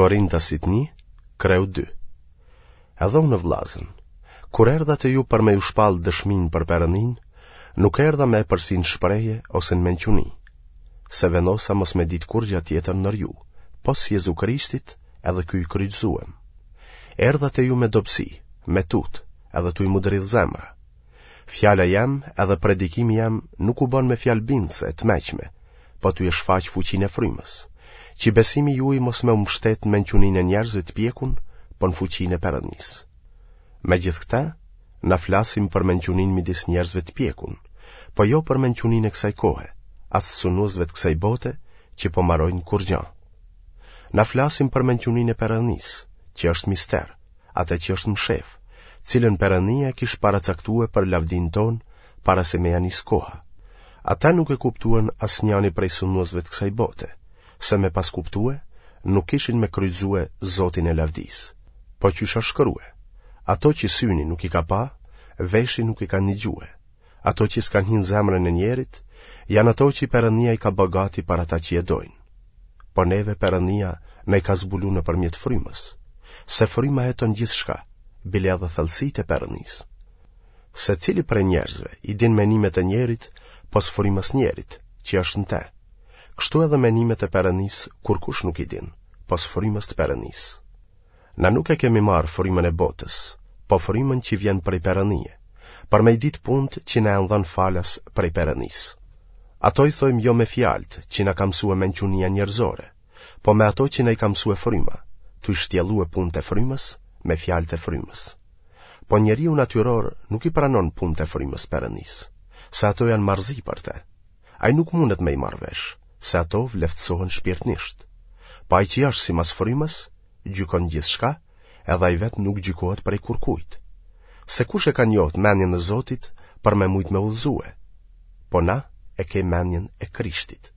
Korintasit 1, kreu 2. Edhe unë vllazën, kur erdha te ju për me ju shpallë dëshminë për Perëndinë, nuk erdha me epërsi në shprehje ose në mençuni, se vendosa mos me ditë kurgja tjetër ndër ju, pos Jezu Krishtit edhe ky i kryqëzuem. Erdha te ju me dobësi, me tutë, edhe tuj m'u dridhë zemra. Fjala jem edhe predikimi jem nuk u bën me fjalë bindëse e të meçme, po tuj e shfaq fuqinë e frymës, që besimi juaj mos me u mbështet në mençuninë e njerëzve të pjekun, po në fuqinë e Perëndisë. Megjithëkëtë, na flasim për mençuninë midis njerëzve të pjekun, po jo për mençuninë e kësaj kohe, as sunduesve të kësaj bote që po marojnë kurrgjë. Na flasim për mençuninë e Perëndisë, që është mister, atë që është mshef, cilën Perëndia e kish paracaktue për lavdinë tonë para se me ja nis koha. Ata nuk e kuptuan asnjani prej sunduesve të kësaj bote, se me pas kuptue, nuk kishin me kryqëzue Zotin e lavdisë. Po qysh asht shkrue, ato që syni nuk i ka pa, veshi nuk i ka nigjue, ato që s'kanë hi në zemrën e njerit, janë ato që Perëndia i ka bë gati për ata që e dojnë. Po neve Perëndia na i ka zbulu nëpërmjet frymës, se fryma heton gjithçka, bile edhe thellësitë e Perëndisë. Se cili prej njerëzve i din menimet e njerit, pos frymës njerit, që është në te. Kështu edhe menimet e Perëndisë kurkush nuk i din, pos frymës të Perëndisë. Na nuk e kemi marrë frymën e botës, po frymën që vjen prej Perëndie, për me i ditë punët që na janë dhënë falas prej Perëndisë. Ato i thojmë jo me fjalët që na ka mësue mençunia njerëzore, po me ato që na i ka mësue fryma, tuj shtjellue punët e frymës me fjalët e frymës. Po njeriu natyror nuk i pranon punët e frymës Perëndisë, se ato janë marrëzi për te. Ai nuk mundet me i marrë vesh, se ato vleftësohen shpirtnisht. Po ai që është simas frymës, gjykon gjithçka, edhe ai vetë nuk gjykohet prej kurkujt. Se kush e ka njohtë mendjen e Zotit për me mujtë me udhëzue? Po na e kem mendjen e Krishtit.